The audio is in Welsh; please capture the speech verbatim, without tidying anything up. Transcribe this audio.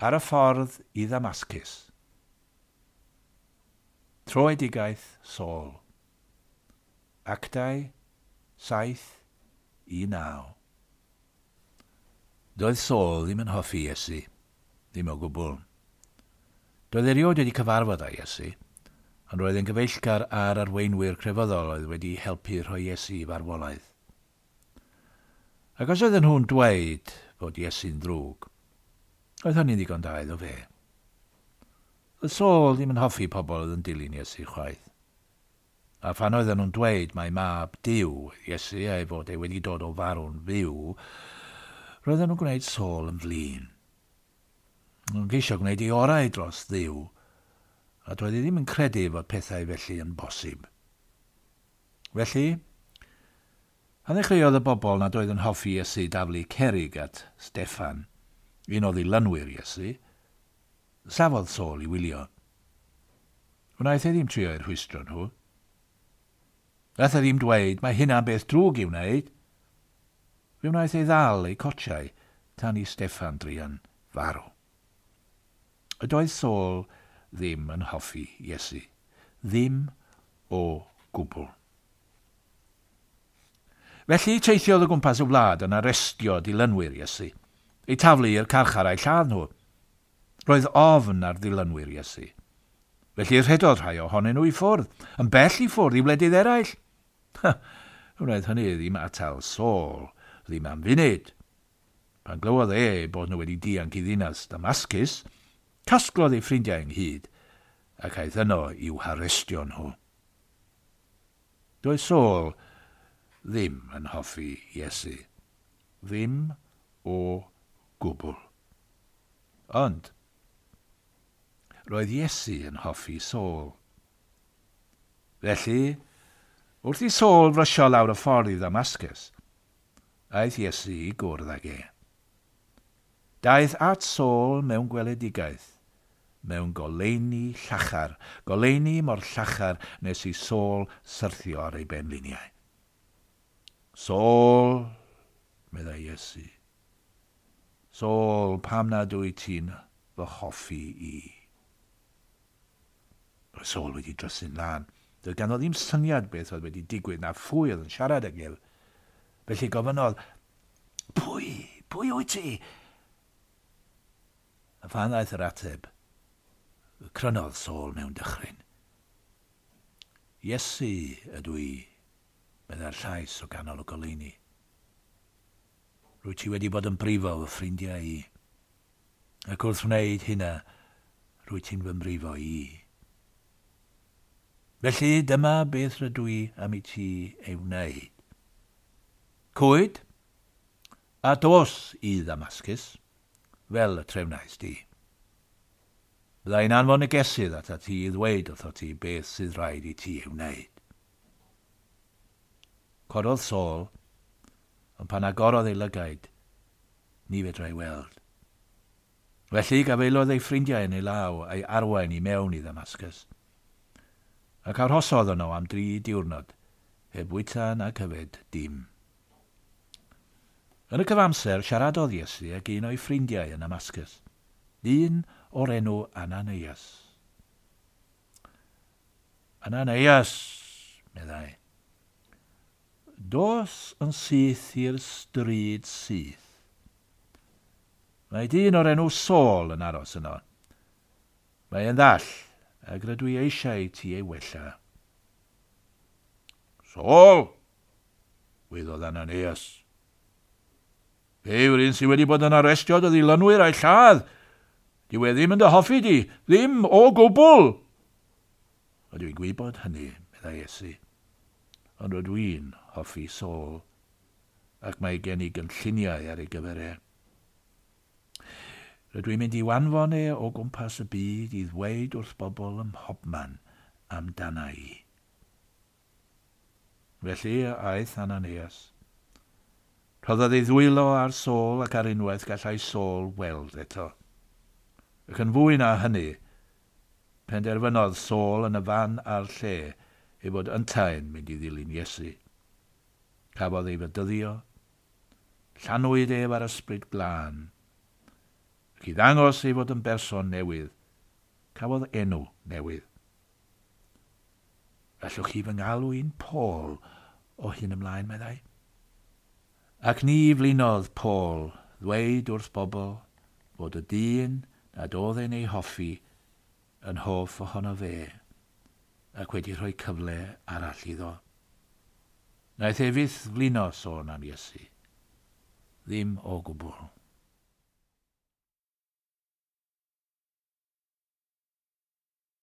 Ar y ffordd i Ddamascus. Troedigaeth Saul. Actau saith i naw. Doedd Saul ddim yn hoffi Iesu, ddim o gwbl. Doedd erioed wedi cyfarfod â Iesu, ond roedd yn gyfeillgar â'r arweinwyr crefyddol oedd wedi helpu rhoi Iesu i farwolaeth. Ac os oedden nhw'n dweud fod Iesu'n ddrwg, oedd hynny'n ddigon da iddo fe. Oedd Saul ddim yn hoffi pobl oedd yn dilyn Iesu chwaith. A phan oedden nhw'n dweud mai mab Duw Iesu a'i fod e wedi dod o farw'n fyw, roedden nhw'n gwneud Saul yn flin. Nhw'n ceisio gwneud ei orau dros Dduw, a doedd e ddim yn credu fod pethau felly yn bosib. Felly, pan ddechreuodd y bobl nad oedd yn hoffi Iesu daflu cerig at Steffan, un o ddilynwyr Iesu, safodd Saul i wylio. Wnaeth e ddim trio eu rhwystro nhw. Wnaeth e ddim dweud mae hynna'n beth drwg i'w wneud. Fe wnaeth ei ddal eu cotiau tan i Steffan druan farw. Y doedd Saul ddim yn hoffi Iesu. Ddim o gwbl. Felly teithiodd o gwmpas y wlad yn arestio dilynwyr Iesu, eu taflu i'r carchar a'u lladd nhw. Roedd ofn ar ddilynwyr Iesu. Felly rhedodd rhai ohonyn nhw i ffwrdd, yn bell i ffwrdd i wledydd eraill. Wnaeth hynny ddim atal Saul, ddim am funud. Pan glywodd e bod nhw wedi dianc i ddinas Damascus, casglodd ei ffrindiau ynghyd ac aeth yno i'w harestio nhw. Doedd Saul ddim yn hoffi Iesu. Ddim o gwbl. Ond, roedd Iesu yn hoffi Saul. Felly, wrth i Saul frysio lawr y ffordd i Ddamascus, aeth Iesu i gwrdd ag e. Daeth at Saul mewn gweledigaeth, mewn goleuni llachar, goleuni mor llachar nes i Saul syrthio ar ei benliniau. Saul, meddai Iesu, Saul, pam nad wyt ti'n fy hoffi i? Roedd Saul wedi drysu'n lân. Doedd ganddo ddim syniad beth oedd wedi digwydd na phwy oedd yn siarad ag ef. Felly gofynnodd, pwy, pwy wyt ti? A phan ddaeth yr ateb, crynodd Saul mewn dychryn. Iesu ydw i, meddai'r llais o ganol y goleuni. Rwyt ti wedi bod yn brifo fy ffrindiau i. Ac wrth wneud hynna, rwyt ti'n fy mrifo i. Felly dyma beth rydw i am i ti ei wneud. Cwyd, a dos i Ddamascus, fel y trefnais di. Bydda i'n anfon negesydd atat ti i ddweud wrtho ti beth sydd rhaid i ti ei wneud. Cododd Saul, ond pan agorodd ei lygaid, ni fedrai weld. Felly gafaelodd ei ffrindiau yn ei law a'i arwain i mewn i Ddamascus. Ac arhosodd yno am dri diwrnod, heb fwyta nac yfed dim. Yn y cyfamser, siaradodd Iesu ag un o'i ffrindiau yn Damascus, un o'r enw Ananias. Ananias, meddai, dos yn syth i'r stryd syth. Mae dyn o'r enw Saul yn aros yno. Mae e'n ddall, ac rydw i eisiau ti ei wella. Saul, weiddodd Ananias. Fe yw'r un sydd wedi bod yn arestio dy ddilynwyr a'i lladd. Dyw e ddim yn dy hoffi di, ddim o gwbl. A dwi'n gwybod hynny, meddai Iesu. Ond rydw i'n hoffi Saul, ac mae gen i gynlluniau ar ei gyfer e. Rydw i'n mynd i'w anfon e o gwmpas y byd i ddweud wrth bobl ym mhobman amdana i. Felly aeth Ananias. Rhoddodd ei ddwylo ar Saul ac ar unwaith gallai Saul weld eto. Ac yn fwy na hynny, penderfynodd Saul yn y fan a'r lle ei fod yntau'n mynd i ddilyn Iesu. Cafodd ei fedyddio, llanwyd ef ar ysbryd glân, Ac i ddangos ei fod yn berson newydd, cafodd enw newydd. "Allwch chi fy ngalw i'n Paul o hyn ymlaen," meddai. Ac ni flinodd Paul ddweud wrth bobl fod y dyn nad oedd e'n ei hoffi yn hoff ohono fe ac wedi rhoi cyfle arall iddo. Naeth e fyth flino sôn am Iesu. Ddim o gwbl.